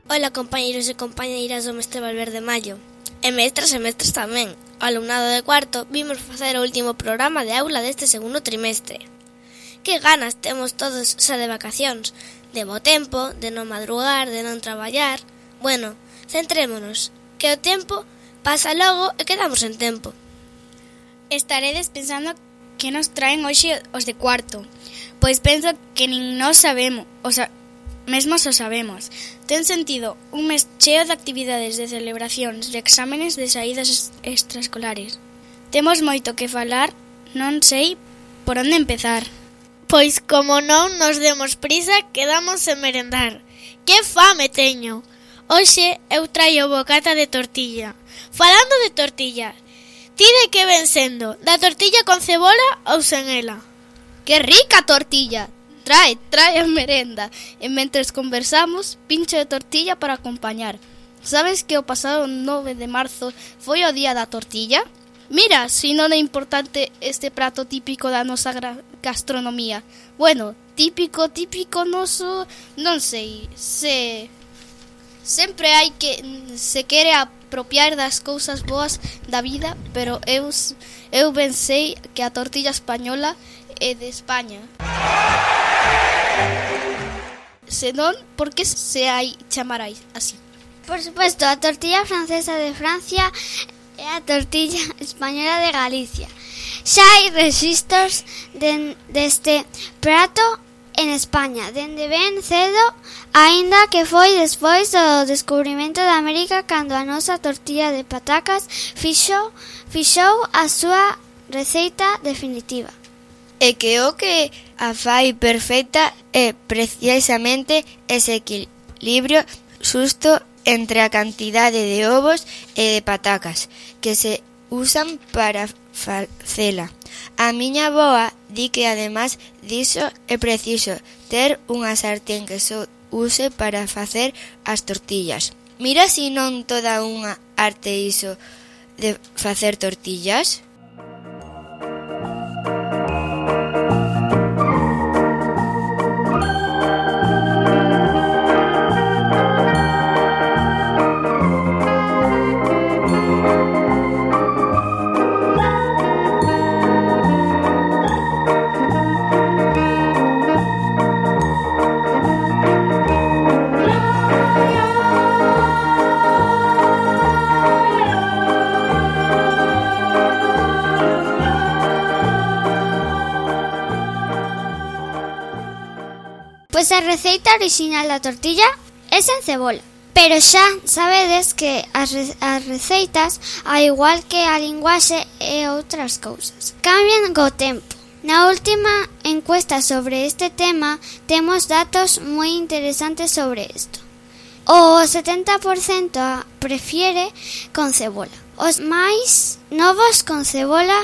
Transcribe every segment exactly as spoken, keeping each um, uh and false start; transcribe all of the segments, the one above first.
Ola, compañeiros e compañeiras do Mestre Valverde Mallo, e mestras e mestres tamén. O alumnado de cuarto vimos facer o último programa de aula deste segundo trimestre. Que ganas temos todos xa de vacacións, de bo tempo, de non madrugar, de non traballar. Bueno, centrémonos, que o tempo pasa logo e quedamos en tempo. Estaredes pensando que nos traen hoxe os de cuarto, pois penso que nin nós sabemos, o sea, mesmo só sabemos. Ten sentido un mes cheo de actividades, de celebracións, de exámenes, de saídas extraescolares. Temos moito que falar, non sei por onde empezar. Pois como non nos demos prisa, quedamos sen merendar. Que fame teño! Hoxe eu traio bocata de tortilla. Falando de tortilla, ti de que ven sendo? Da tortilla con cebola ou sen ela? Que rica tortilla! Trae, trae a merenda. E mentres conversamos, pincho de tortilla para acompañar. Sabes que o pasado nove de marzo foi o día da tortilla? Mira, si non é importante este prato típico da nosa gastronomía. Bueno, típico, típico noso, non sei, se... Sempre hai que se quere apropiar das cousas boas da vida, pero eu, eu ben sei que a tortilla española é de España. Senón, por que se hai chamar así? Por supuesto, a tortilla francesa de Francia e a tortilla española de Galicia. Xa hai rexistros de, deste prato en España, dende ben cedo, aínda que foi despois do descubrimento da América, cando a nosa tortilla de patacas fixou, fixou a súa receita definitiva. E que o que a fai perfecta é precisamente ese equilibrio xusto entre a cantidade de ovos e de patacas que se usan para facela. A miña avoa di que ademais diso é preciso ter unha sartén que só use para facer as tortillas. Mira si non toda unha arte iso de facer tortillas. Pois a receita orixinal da tortilla é sen cebola. Pero xa sabedes que as, re- as receitas, ao igual que a linguaxe e outras cousas, cambian co tempo. Na última encuesta sobre este tema temos datos moi interesantes sobre isto. O setenta por cento prefiere con cebola. Os máis novos con cebola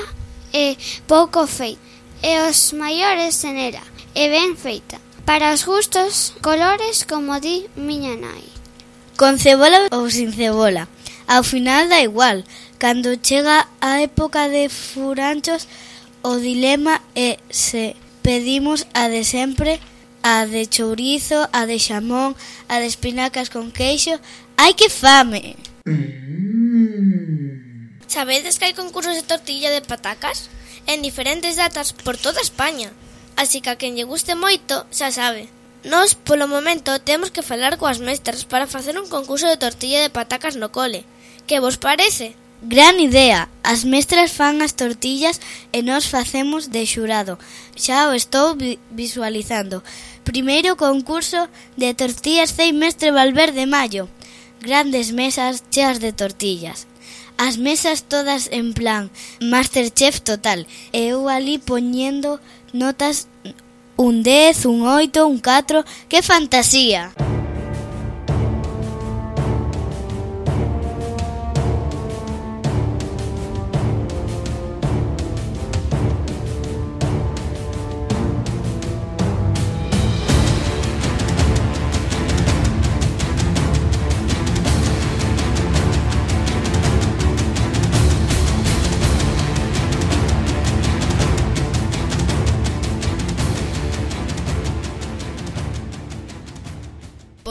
e pouco feita. E os maiores sen ela e ben feita. Para os gustos, colores, como di miña nai. Con cebola ou sin cebola, ao final dá igual. Cando chega a época de furanchos, o dilema é se pedimos a de sempre, a de chourizo, a de xamón, a de espinacas con queixo. Ai, que fame! Mm. Sabedes que hai concursos de tortilla de patacas en diferentes datas por toda España? Así que a quen lle guste moito, xa sabe. Nós, polo momento, temos que falar coas mestras para facer un concurso de tortilla de patacas no cole. Que vos parece? Gran idea! As mestras fan as tortillas e nós facemos de xurado. Xa o estou vi- visualizando. Primeiro concurso de tortillas Cei Mestre Valverde Mallo. Grandes mesas cheas de tortillas. As mesas todas en plan Masterchef total. E eu ali poñendo notas un dez, un oito, un catro. ¡Que fantasía!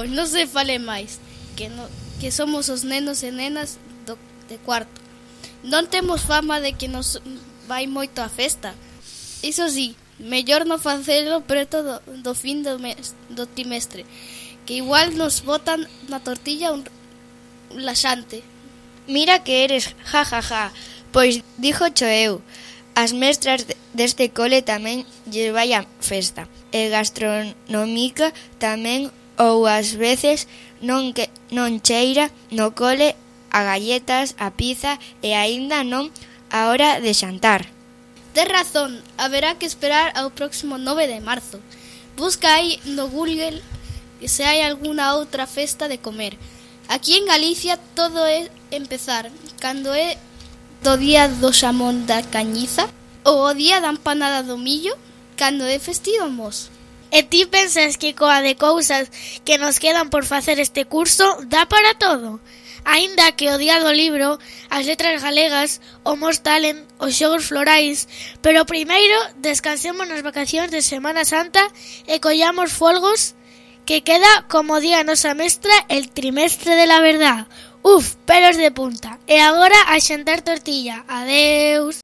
Pois non se fale máis, que, no, que somos os nenos e nenas do, de cuarto. Non temos fama de que nos vai moito a festa. Iso sí, mellor non facelo preto do, do fin do, mes, do trimestre, que igual nos botan na tortilla un, un laxante. Mira que eres, ja, ja, ja. Pois dixo cho eu, as mestras deste cole tamén lle vai a festa. E gastronómica tamén, ou ás veces non que non cheira no cole a galletas, a pizza e aínda non a hora de xantar. Tes razón, haberá que esperar ao próximo nove de marzo. Busca aí no Google se hai algunha outra festa de comer. Aquí en Galicia todo é empezar cando é do día do xamón da cañiza ou o día da empanada do millo cando é festivo mos. E ti pensas que coa de cousas que nos quedan por facer este curso dá para todo? Aínda que o día do libro, as letras galegas, o Mos Talent, os xogos florais, pero primeiro descansemos nas vacacións de Semana Santa e collamos folgos que queda, como di a nosa mestra, el trimestre de la verdad. Uf, pelos de punta. E agora a xantar tortilla. Adeus.